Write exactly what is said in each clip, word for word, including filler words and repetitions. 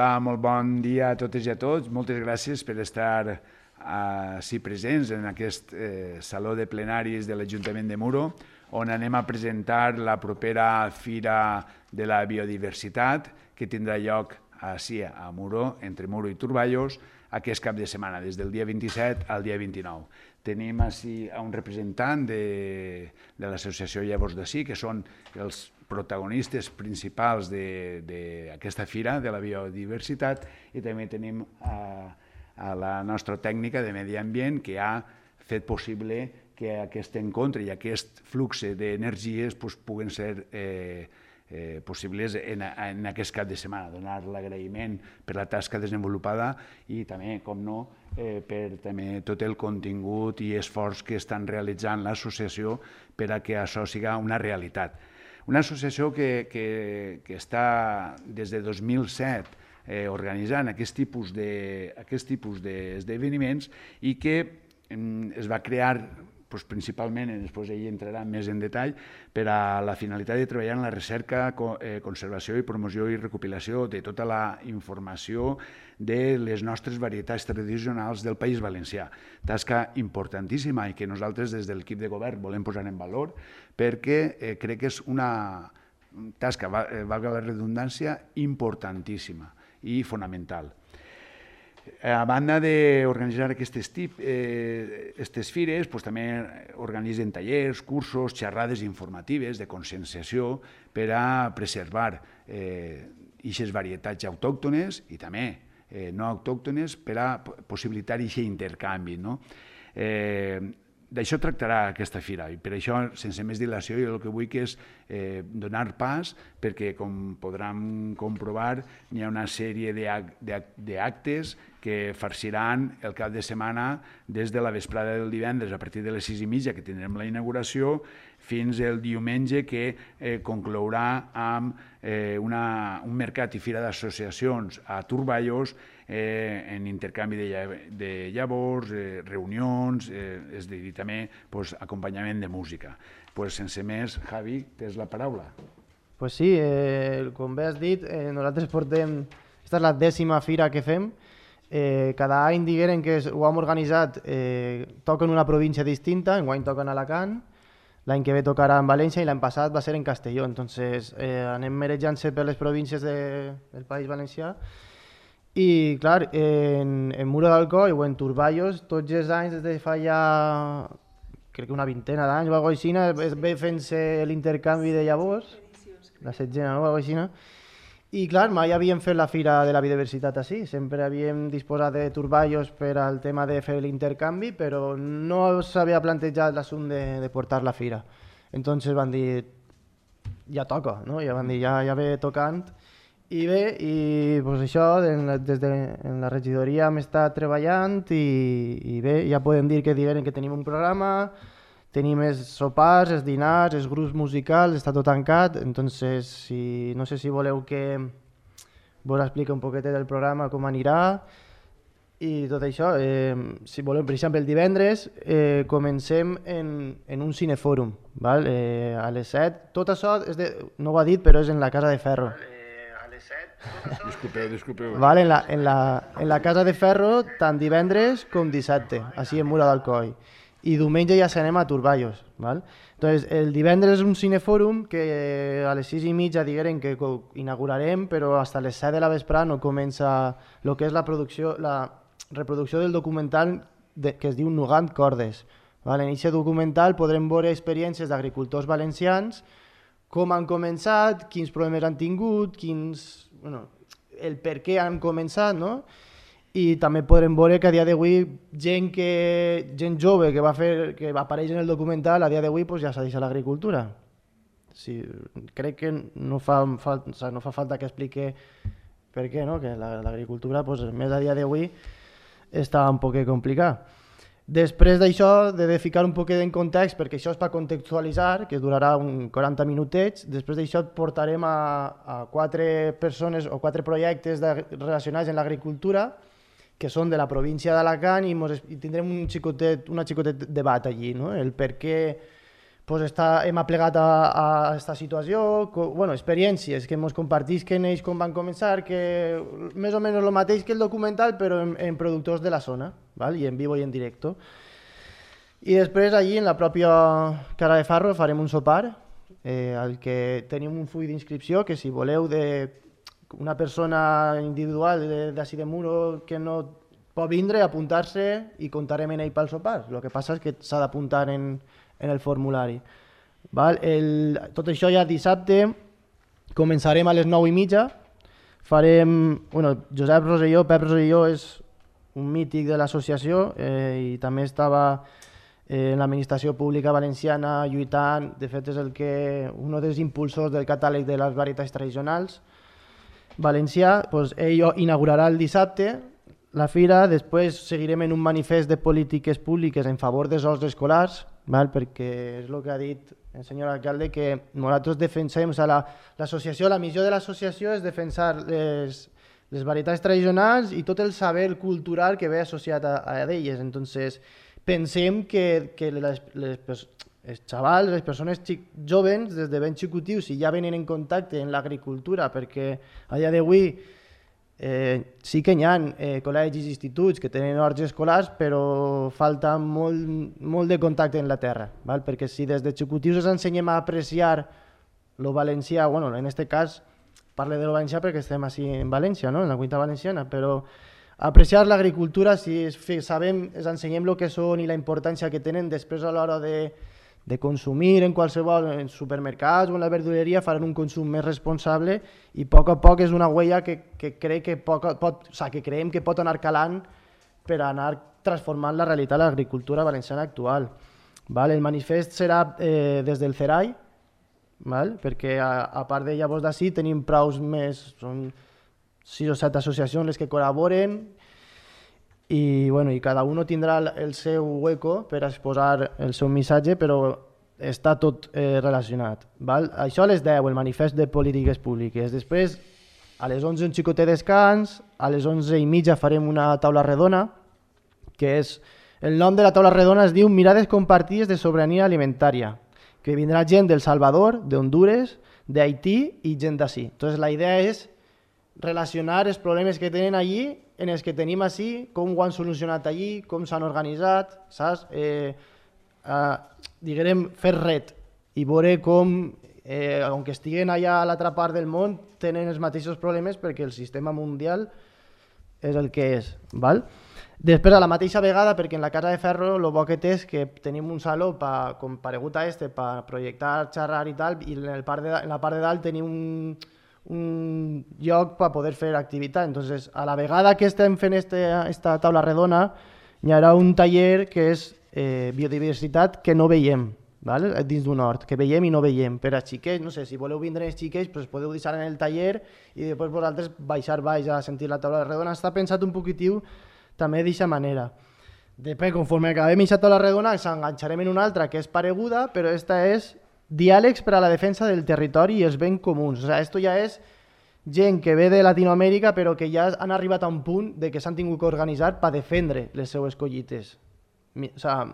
Hola, molt bon dia a totes i a tots. Moltes gràcies per estar així presents en aquest eh, saló de plenaris de l'Ajuntament de Muro, on anem a presentar la propera Fira de la Biodiversitat, que tindrà lloc així a Muro, entre Muro i Turballos, aquest cap de setmana, des del dia vint-i-set al dia vint-i-nou. Tenim així un representant de, de l'associació Llavors d'ací, que són els protagonistes principals d'aquesta fira de la biodiversitat, i també tenim a, a la nostra tècnica de medi ambient, que ha fet possible que aquest encontre i aquest flux d'energies pues, puguen ser eh, Eh, possibles en, en aquest cap de setmana, donar l'agraïment per la tasca desenvolupada i també, com no, eh, per també tot el contingut i esforç que estan realitzant l'associació per a que això siga una realitat. Una associació que, que, que està des de dos mil set eh, organitzant aquest tipus de, aquest tipus d'esdeveniments i que eh, es va crear pues, principalment, després ell entrarà més en detall, per a la finalitat de treballar en la recerca, eh, conservació i promoció i recopilació de tota la informació de les nostres varietats tradicionals del País Valencià. Tasca importantíssima i que nosaltres des de l'equip de govern volem posar en valor perquè eh, crec que és una tasca, valga la redundància, importantíssima i fonamental. A banda d'organitzar aquestes eh, fires, pues, també organitzen tallers, cursos, xerrades informatives de conscienciació per a preservar aquestes eh, varietats autòctones i també eh, no autòctones per a possibilitar aquest intercanvi. No? Eh, D'això tractarà aquesta fira i per això, sense més dilació, jo el que vull que és eh, donar pas perquè, com podran comprovar, hi ha una sèrie d'actes que farciran el cap de setmana des de la vesprada del divendres a partir de les sis i mitja, que tindrem la inauguració, fins el diumenge, que eh, conclourà amb eh, una, un mercat i fira d'associacions a Turballos eh, en intercanvi de, de llavors, eh, reunions, eh, és a dir, també pues, acompanyament de música. Pues, sense més, Javi, tens la paraula. Pues sí, eh, com bé has dit, eh, nosaltres portem... Esta és la dècima fira que fem. Eh, cada any digueren que ho hem organitzat, eh, toquen una província distinta, enguany toquen a Alacant, l'any que ve tocarà en València i l'any passat va ser en Castelló. Entonces eh, anem merejant-se per les províncies de, del País Valencià. I clar, en, en Muro d'Alcoi o en Turballos, tots els anys, des de fa ja crec que una vintena d'anys o alguna cosa així, es ve fent-se l'intercanvi de llavors, la setzena, no? Alguna cosa així. I clar, mai havíem fet la Fira de la Biodiversitat així, sempre havíem disposat de Turballos per al tema de fer l'intercanvi, però no s'havia plantejat l'assumpte de, de portar la fira. Entonces van dir, ja toca, no? Ja van dir, ja, ja ve tocant. I bé, i pues això, des de en la regidoria hem estat treballant i, i bé, ja podem dir que digueren que tenim un programa, tenim els sopars, els dinars, els grups musicals, està tot tancat, entonces si, no sé si voleu que vos expliqui un poquet del programa, com anirà i tot això. Eh, si voleu, per exemple, el divendres eh, comencem en, en un cinefòrum, val? Eh, a les set, tot això, és de, no ho ha dit, però és en la Casa de Ferro. Disculpeu, disculpeu. Vale, en, la, en, la, en la Casa de Ferro, tant divendres com dissabte, així en Muro d'Alcoi. I diumenge ja s'anem a Turballos. Val? Entonces, el divendres és un cinefòrum que a les sis i mitja digueren que inaugurarem, però fins a les set de la vesprada no comença el que és la producció, la reproducció del documental de, que es diu Nugant Cordes. Val? En aquest documental podrem veure experiències d'agricultors valencians, com han començat, quins problemes han tingut, quins, bueno, el per què han començat, no? I també podrem veure que a dia d'avui gent, que, gent jove que va fer, que apareix en el documental, a dia d'avui pues, ja s'ha deixat l'agricultura. Sí, crec que no fa, fa, o sea, no fa falta que explique per què, no? Que l'agricultura, pues, més a dia d'avui, està un poc complicat. Després d'això, de ficar un poquet en context, perquè això és per contextualitzar, que durarà un quaranta minutets, després d'això et portarem a, a quatre persones o quatre projectes de, relacionats amb l'agricultura, que són de la província d'Alacant, i, mos, i tindrem un xicotet, una xicotet debat allí, no? El per què pues està, hem aplegat a, a aquesta situació, co, bueno, experiències que ens compartisquen ells com van començar, que més o menys el mateix que el documental, però en, en productors de la zona, val? I en vivo i en directo. I després allí, en la pròpia Cara de Farro, farem un sopar, eh, al que tenim un full d'inscripció, que si voleu de una persona individual d'ací de Muro que no pot vindre, apuntar-se i comptarem en ell pel sopar. El que passa és que s'ha d'apuntar en en el formulari. Val? El, tot això ja dissabte, començarem a les nou i mitja, farem, bueno, Josep Roselló, Pep Roselló és un mític de l'associació eh, i també estava eh, en l'administració pública valenciana lluitant, de fet és el que, un dels impulsors del catàleg de les varietats tradicionals valencià, doncs ell inaugurarà el dissabte la fira, després seguirem en un manifest de polítiques públiques en favor dels horts escolars, val? Perquè és el que ha dit el senyor alcalde, que nosaltres defensem, o sigui, l'associació, la, la missió de l'associació és defensar les, les varietats tradicionals i tot el saber cultural que ve associat a, a elles. Entonces, pensem que, que les, les, els xavals, les persones xic, joves, des de ben xicutius, si ja venen en contacte amb l'agricultura, perquè a dia d'avui Eh, sí que hi ha eh, col·legis i instituts que tenen horts escolars, però falta molt, molt de contacte amb la terra, val? Perquè si des de xicutius ens ensenyem a apreciar lo valencià, bueno, en aquest cas parlo de lo valencià perquè estem així en València, no? En la Comunitat Valenciana, però apreciar l'agricultura, si es, sabem, ens ensenyem el que són i la importància que tenen després a l'hora de de consumir en qualsevol en supermercats o en la verduleria, faran un consum més responsable i a poc a poc és una huella que, que, crec que, poc, pot, o sigui, que creiem que pot anar calant per anar transformant la realitat de l'agricultura valenciana actual. Val? El manifest serà eh, des del CERAI, val? Perquè a, a part de llavors d'ací tenim praus més, són sis o set associacions les que col·laboren i, bueno, i cada un tindrà el seu hueco per exposar el seu missatge, però està tot eh, relacionat. Val? Això a les deu, el manifest de polítiques públiques. Després, a les onze un xicotet descans, a les onze i mitja farem una taula redona, que és, el nom de la taula redona es diu Mirades compartides de sobirania alimentària, que vindrà gent del Salvador, d'Hondures, d'Haití i gent d'ací. Entonces la idea és relacionar els problemes que tenen allí en els que tenim així, com ho han solucionat allí, com s'han organitzat, saps? Eh, eh, diguem, fer ret i veure com, eh, aunque estiguen allà a l'altra part del món, tenen els mateixos problemes perquè el sistema mundial és el que és. Val? Després, a la mateixa vegada, perquè en la Casa de Ferro el bo que té és que tenim un saló pa, com paregut a este per projectar, xerrar i tal, i en, el part de, en la part de dalt tenim un un lloc per poder fer activitat. Entonces, a la vegada que estem fent aquesta taula redona, hi haurà un taller que és eh, biodiversitat que no veiem, ¿vale? Dins d'un hort, que veiem i no veiem. Per a xiquets, no sé, si voleu vindre els xiquets, pues podeu deixar en el taller i després vosaltres baixar baix a sentir la taula redona. Està pensat un poquitiu també d'aquesta manera. Després, conforme acabem aquesta taula redona, ens enganxarem en una altra que és pareguda, però aquesta és diàlegs per a la defensa del territori i els béns comuns. O sigui, esto ja és gent que ve de Latinoamèrica però que ja han arribat a un punt de que s'han tingut que organitzar per defendre les seues collites. O sigui,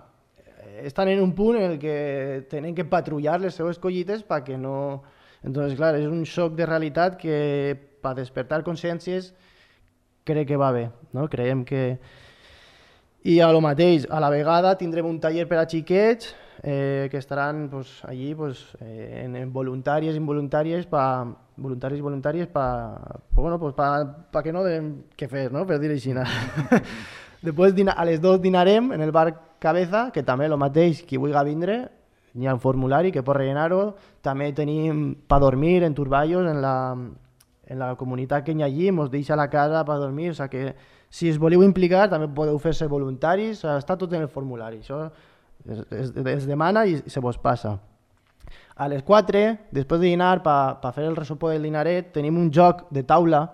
estan en un punt en el que tenen que patrullar les seues collites perquè no... Entonces, clar, és un xoc de realitat que per despertar consciències crec que va bé, no? Creiem que... I a lo mateix, a la vegada tindrem un taller per a xiquets eh, que estaran pues, allí pues, eh, en, en voluntàries i involuntàries pa, voluntaris i voluntàries per bueno, pues, pa, pa que no deem què fer, no? Per dir així. Després a les dues dinarem en el bar Cabeza, que també el mateix, qui vulgui vindre, hi ha un formulari que pot rellenar-ho. També tenim per dormir en turballos en la, en la comunitat que hi ha allí, ens deixa la casa per dormir, o sigui que si us voleu implicar també podeu fer-se voluntaris, o sigui, està tot en el formulari, això es, es, es demana i se vos passa. A les quatre, després de dinar, per pa fer el resopó del dinaret, tenim un joc de taula,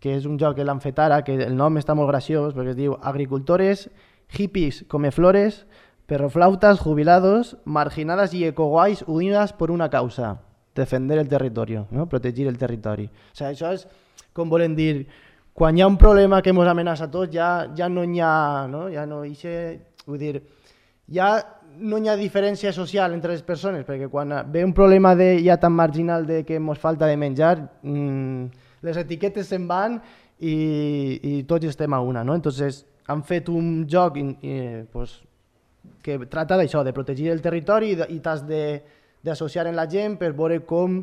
que és un joc que l'han fet ara, que el nom està molt graciós, perquè es diu Agricultores, hippies come flores, perroflautas, jubilados, marginadas y ecoguays unidas por una causa, defender el territorio, no? Protegir el territori. O sigui, això és, com volen dir, quan hi ha un problema que ens amenaça a tots, ja, ja no hi ha, no? Ja no hi ha, vull dir, ja no hi ha diferència social entre les persones, perquè quan ve un problema de, ja tan marginal de que ens falta de menjar, mmm, les etiquetes se'n van i, i tots estem a una, no? Entonces han fet un joc i, i, pues, que tracta d'això, de protegir el territori i t'has d'associar amb la gent per veure com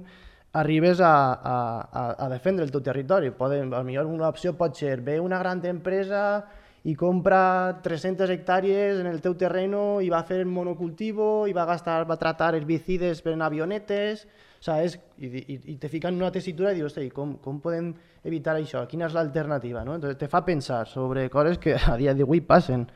arribes a, a, a defendre el teu territori. Poden, a millor una opció pot ser, ve una gran empresa i compra tres-centes hectàrees en el teu terreno i va fer monocultivo i va gastar, va tratar herbicides per en avionetes, ¿sabes? I, i, i te fica en una tessitura i dius, com, com podem evitar això? Quina és l'alternativa? ¿No? Entonces te fa pensar sobre coses que a dia d'avui passen.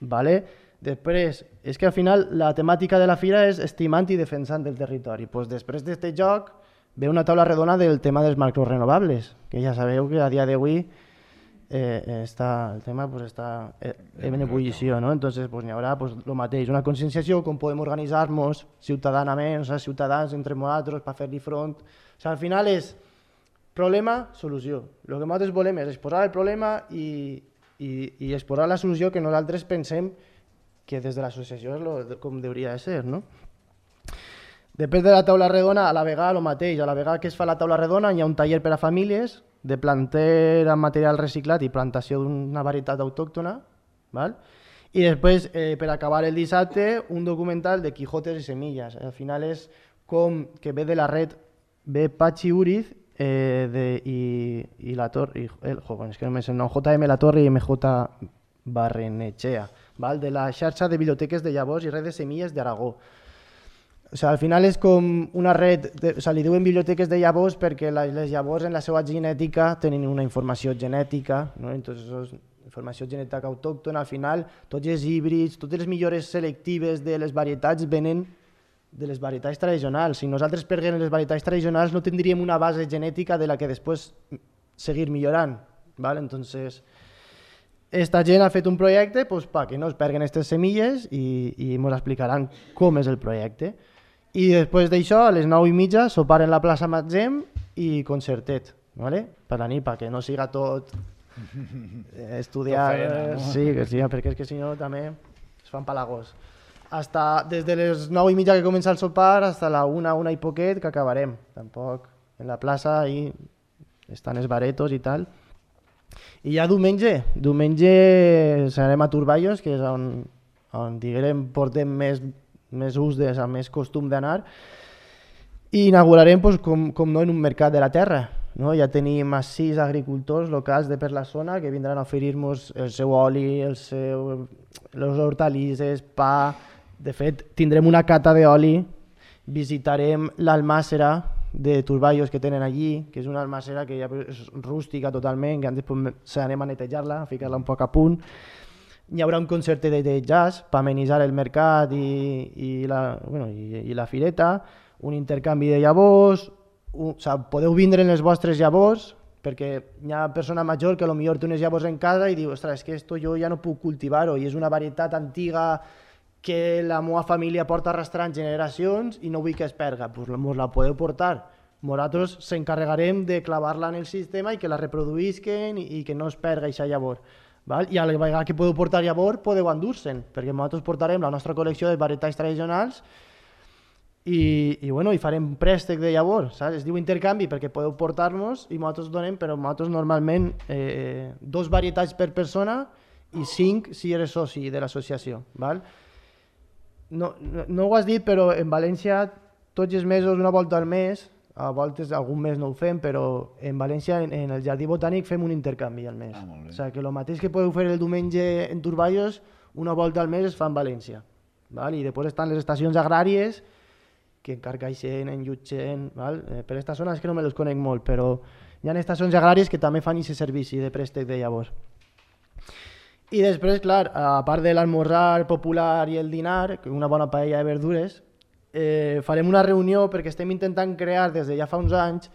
¿Vale? Després, és que al final la temàtica de la fira és estimant i defensant el territori. Pues després d'aquest joc ve una taula redona del tema dels macrorenovables, que ja sabeu que a dia d'avui Eh, està, el tema pues, està eh, en ebullició, ¿no? Entonces pues, n'hi haurà pues, lo mateix, una conscienciació, com podem organitzar-nos ciutadανament, o sea, ciutadans entre nosaltres per fer-li front. O sea, al final és problema, solució. El que nosaltres volem és exposar el problema i, i, i exposar la solució que nosaltres pensem que des de l'associació és lo, com hauria de ser, no? Després de la taula redona, a la vegada el mateix, a la vegada que es fa la taula redona hi ha un taller per a famílies de planter amb material reciclat i plantació d'una varietat autòctona, val? I després, eh, per acabar el dissabte, un documental de Quijotes i Semillas. Al final és com que ve de la red, ve Patxi Uriz eh, de, i, i la Torre, i, el, jo, bueno, és que no me sé, no, J M La Torre i M J Barrenechea, val? De la xarxa de biblioteques de llavors i red de semilles d'Aragó. O sigui, al final és com una red, de, o sigui, li diuen biblioteques de llavors perquè les, les llavors en la seva genètica tenen una informació genètica, no? Entonces, informació genètica autòctona, al final tots els híbrids, totes les millores selectives de les varietats venen de les varietats tradicionals. Si nosaltres perdem les varietats tradicionals no tindríem una base genètica de la que després seguir millorant, ¿vale? Entonces, esta gent ha fet un projecte pues, perquè no es perguen aquestes semilles i, i ens explicaran com és el projecte. I després d'això, a les nou i mitja, sopar en la plaça Matzem i concertet, ¿vale? Per la nit, perquè no siga tot eh, estudiar, feina, no? Sí, que sí, perquè és que si no també es fan palagos. Hasta, des de les nou i mitja que comença el sopar hasta la una, una i poquet que acabarem. Tampoc en la plaça ahí estan els baretos i tal. I ja diumenge, diumenge serem a Turballos, que és on, on diguem, portem més, més ús, de, més costum d'anar, i inaugurarem pues, com, com no en un mercat de la terra. No? Ja tenim a sis agricultors locals de per la zona que vindran a oferir-nos el seu oli, el seu, les hortalisses, pa. De fet, tindrem una cata d'oli, visitarem l'almàssera de Turballos que tenen allí, que és una almàssera que ja és rústica totalment, que després anem a netejar-la, a ficar-la un poc a punt. Hi haurà un concert de jazz per amenitzar el mercat i, i, la, bueno, i, i la fireta, un intercanvi de llavors, un, o sigui, podeu vindre en les vostres llavors, perquè hi ha persona major que potser té unes llavors en casa i diu, ostres, és que esto jo ja no puc cultivar-ho i és una varietat antiga que la meva família porta arrastrant generacions i no vull que es perga, doncs mos la podeu portar. Nosaltres s'encarregarem de clavar-la en el sistema i que la reproduïsquen i que no es perga aquesta llavor. Val? I a la vegada que podeu portar llavor podeu endur-se'n, perquè nosaltres portarem la nostra col·lecció de varietats tradicionals i, i, bueno, i farem préstec de llavor, saps? Es diu intercanvi perquè podeu portar-nos i nosaltres donem, però nosaltres normalment eh, dos varietats per persona i cinc si eres soci de l'associació. Val? No, no, no ho has dit, però en València tots els mesos, una volta al mes, a voltes algun mes no ho fem, però en València, en, en el Jardí Botànic, fem un intercanvi al mes. Ah, o sigui, que el mateix que podeu fer el diumenge en Turballos, una volta al mes es fa en València. Val? I després estan les estacions agràries, que en Carcaixent, en Llutxent, val? Eh, per aquesta zona és que no me les conec molt, però hi ha estacions agràries que també fan aquest servici de préstec de llavors. I després, clar, a part de l'almorzar popular i el dinar, una bona paella de verdures, eh, farem una reunió perquè estem intentant crear des de ja fa uns anys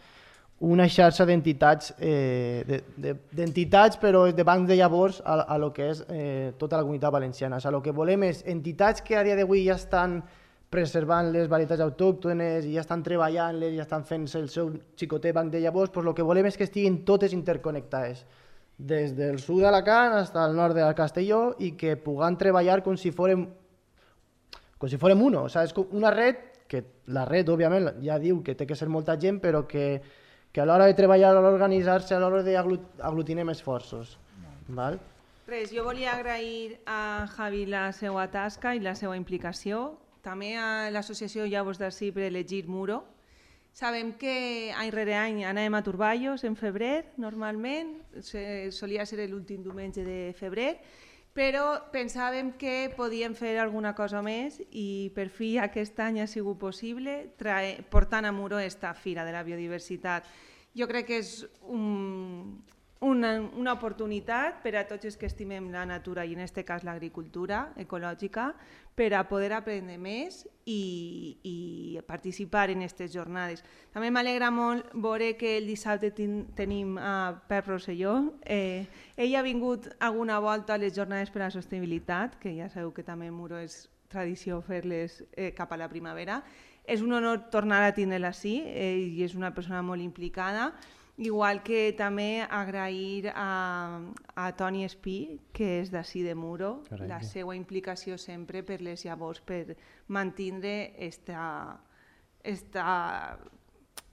una xarxa d'entitats, eh, de, de, d'entitats però de bancs de llavors a, a lo que és eh, tota la comunitat valenciana. O sigui, el que volem és entitats que a dia d'avui ja estan preservant les varietats autòctones i ja estan treballant-les, ja estan fent el seu xicotet banc de llavors, doncs el que volem és que estiguin totes interconnectades, des del sud d'Alacant fins al nord de Castelló, i que puguem treballar com si fórem com si fórem uno, saps? Una red, que la red, òbviament, ja diu que té que ser molta gent, però que, que a l'hora de treballar, a l'hora d'organitzar-se, a l'hora d'aglutinar esforços. Val? Res, jo volia agrair a Javi la seva tasca i la seva implicació, també a l'associació Llavors d'Ací per elegir Muro. Sabem que any rere any anem a Turballos en febrer, normalment, solia ser l'últim diumenge de febrer, però pensàvem que podíem fer alguna cosa més i per fi aquest any ha sigut possible portant a Muro esta Fira de la Biodiversitat. Jo crec que és un, una, una oportunitat per a tots els que estimem la natura i en aquest cas l'agricultura ecològica per a poder aprendre més i, i participar en aquestes jornades. També m'alegra molt veure que el dissabte ten, tenim a Pep Rosselló. Eh, ell ha vingut alguna volta a les jornades per a la sostenibilitat, que ja sabeu que també a Muro és tradició fer-les eh, cap a la primavera. És un honor tornar a tindre-la així, ell eh, és una persona molt implicada. Igual que també agrair a, a Toni Espí, que és d'ací de Muro, Correcte. La seva implicació sempre per les llavors, per mantenir esta, esta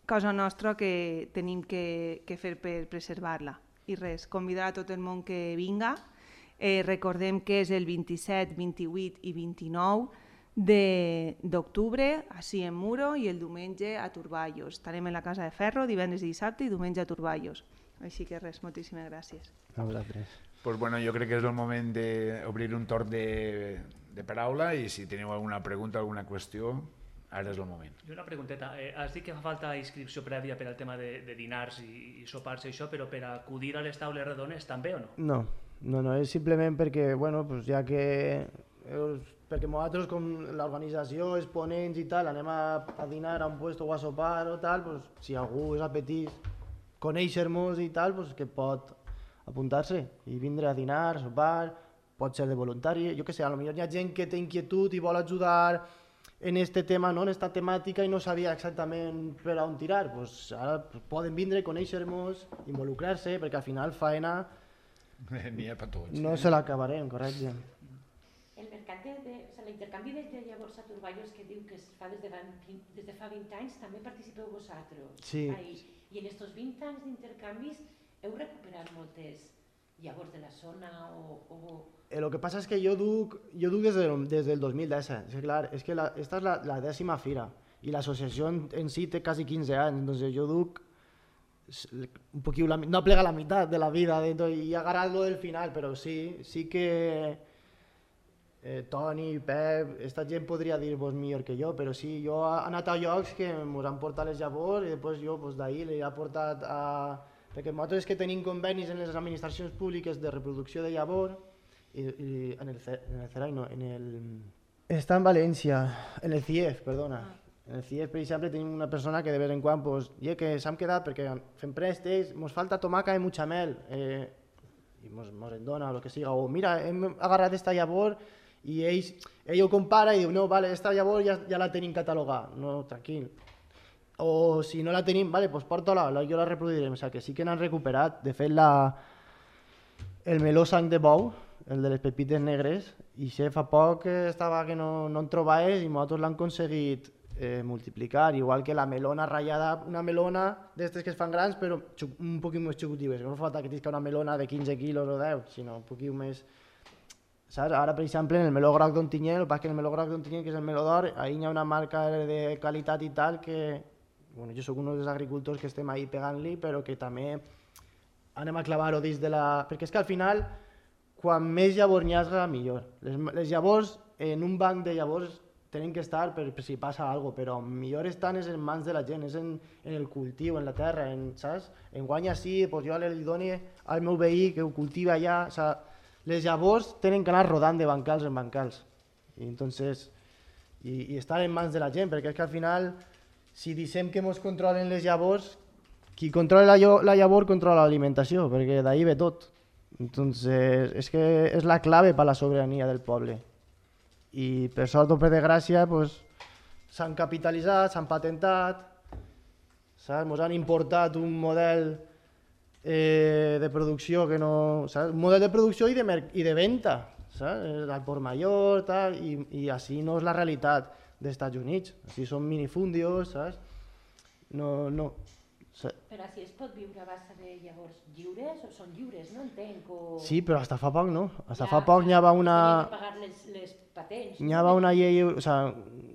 cosa nostra que tenim que, que fer per preservar-la. I res, convidar a tot el món que vinga. Eh, recordem que és el vint-i-set, vint-i-vuit i vint-i-nou d'octubre, així en Muro, i el diumenge a Turballos. Estarem en la Casa de Ferro, divendres i dissabte, i diumenge a Turballos. Així que res, moltíssimes gràcies. A vosaltres. Pues bueno, jo crec que és el moment d'obrir un torn de, de paraula i si teniu alguna pregunta, alguna qüestió, ara és el moment. I una pregunteta. Eh, has dit que fa falta inscripció prèvia per al tema de, de dinars i, i sopars i això, però per acudir a les taules redones també o no? No, no, no, és simplement perquè, bueno, pues ja que... perquè nosaltres, com l'organització, els ponents i tal, anem a, a dinar a un puesto o a sopar o tal, pues, si algú és apetís conèixer-nos i tal, pues, que pot apuntar-se i vindre a dinar, a sopar, pot ser de voluntari, jo què sé, potser hi ha gent que té inquietud i vol ajudar en este tema, no? En esta temàtica i no sabia exactament per on tirar, pues, ara pues, poden vindre, conèixer-nos, involucrar-se, perquè al final faena N'hi ha per tots. No se l'acabarem, correcte. El mercat de, de, o sigui, l'intercanvi de, de llavors a Turballos que diu que es fa des de, des de fa vint anys, també participeu vosaltres. Sí. Ahí. I en aquests vint anys d'intercanvis heu recuperat moltes llavors de la zona o... o... El que passa és que jo duc, jo duc des, del, des del dos mil disset, és clar, és que la, esta és la, la dècima fira i l'associació en, en si té quasi quinze anys, entonces jo duc un poquillo, la, no plega la meitat de la vida dentro, i he agarrat lo del final, però sí, sí que eh, Toni, Pep, esta gent podria dir-vos millor que jo, però sí, jo he anat a llocs que ens han portat les llavors i després jo pues, d'ahir li he portat a... Perquè nosaltres que tenim convenis en les administracions públiques de reproducció de llavor i, i en el, en el CERAI no, en el... Està en València, en el C I E F, perdona. En el C I E F, per exemple, tenim una persona que de vez en quan, pues, ja que s'han quedat perquè fem préstecs, ens falta tomaca i muchamel, eh, i mos, mos en dona, o el que siga, o mira, hem agarrat esta llavor i ell, ell ho compara i diu, no, vale, esta llavor ja, ja la tenim catalogada, no, tranquil. O si no la tenim, vale, pues porta-la, jo la reproduirem, o sigui que sí que n'han recuperat. De fet, la, el meló sang de bou, el de les pepites negres, i això fa poc estava que no, no en trobaves i nosaltres l'han aconseguit eh, multiplicar, igual que la melona ratllada, una melona d'estes que es fan grans, però un poquit més xicutives, no fa falta que tinguis una melona de quinze quilos o deu, sinó un poquit més... Saps? Ara, per exemple, en el meló groc d'Ontinyent, el que passa que el meló groc d'Ontinyent, que és el meló d'or, ahí hi ha una marca de qualitat i tal que... Bueno, jo soc un dels agricultors que estem ahí pegant-li, però que també anem a clavar-ho dins de la... Perquè és que al final, quan més llavors n'hi ha, millor. Les, les llavors, en un banc de llavors, tenen que estar per, per si passa alguna cosa, però millor estan és en mans de la gent, és en, en el cultiu, en la terra, en, saps? En guanya sí, doncs jo li dono al meu veí que ho cultiva allà, o sigui, les llavors tenen que anar rodant de bancals en bancals. I, entonces, i, i estar en mans de la gent, perquè és que al final, si dicem que ens controlen les llavors, qui controla la, la llavor controla l'alimentació, perquè d'ahí ve tot. Entonces, és que és la clave per la sobirania del poble. I per sort o per desgràcia, pues, s'han capitalitzat, s'han patentat, saps? Ens han importat un model eh, de producció que no... Saps? Un model de producció i de, i de venda, saps? Al Port Mayor, tal, i, i així no és la realitat dels Estats Units. Així són minifundios, saps? No, no. Però si es pot viure a base de llavors lliures, o són lliures, no entenc? O... Sí, però hasta fa poc no. Hasta fa poc n'hi havia una... Tenien de pagar les, les patents. N'hi havia una llei, o sea,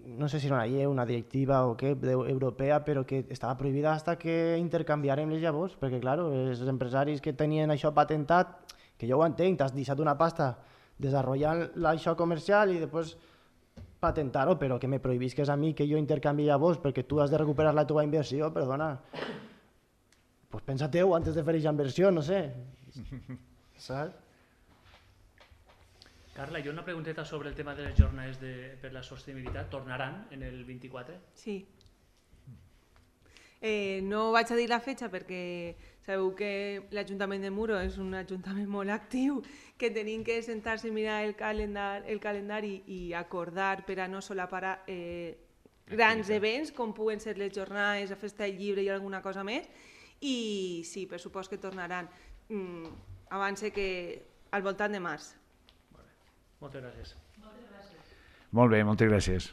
no sé si era una llei, una directiva o què, europea, però que estava prohibida hasta que intercanviarem les llavors, perquè, clar, els empresaris que tenien això patentat, que jo ho entenc, t'has deixat una pasta desenvolupant això comercial i després patentar-ho, però que me prohibisques a mi que jo intercanvi llavors perquè tu has de recuperar la teva inversió, perdona. Pues pensa-te-ho antes de fer aquesta inversió, no sé. Saps? Carla, jo una pregunteta sobre el tema de les jornades de, per la sostenibilitat. Tornaran en el vint-i-quatre? Sí. Eh, no vaig a dir la fetge perquè sabeu que l'Ajuntament de Muro és un ajuntament molt actiu, que tenim que sentar-se i mirar el, calendar, el calendari i acordar per a no solapar eh, grans events com puguen ser les jornades, la festa del llibre i alguna cosa més. I sí, per supost que tornaran. Mm, abans que al voltant de març. Moltes gràcies. Molt bé, moltes gràcies.